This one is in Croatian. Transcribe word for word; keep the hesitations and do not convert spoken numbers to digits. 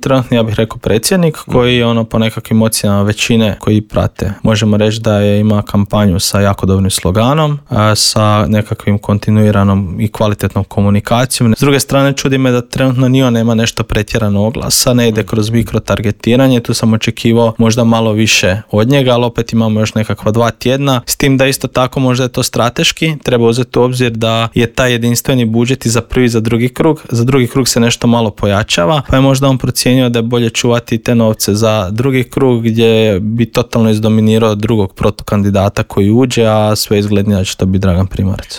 Trenutno ja bih rekao predsjednik koji je ono po nekakvim ocjenama većine koji prate. Možemo reći da je ima kampanju sa jako dobrim sloganom, a, sa nekakvim kontinuiranom i kvalitetnom komunikacijom. S druge strane čudi me da trenutno ni on nema nešto pretjerano oglasa, ne ide kroz mikrotargetiranje, tu sam očekivao možda malo više od njega, ali opet imamo još nekakva dva tjedna, s tim da isto tako možda je to strateški, treba uzeti u obzir da je taj jedinstveni budžet i za prvi i za drugi krug, za drugi krug se nešto malo pojačava, pa je možda on procijenio da je bolje čuvati te novce za drugi krug gdje bi totalno izdominirao drugog protukandidata koji uđe, a sve izglednije da će to biti Dragan Primorac.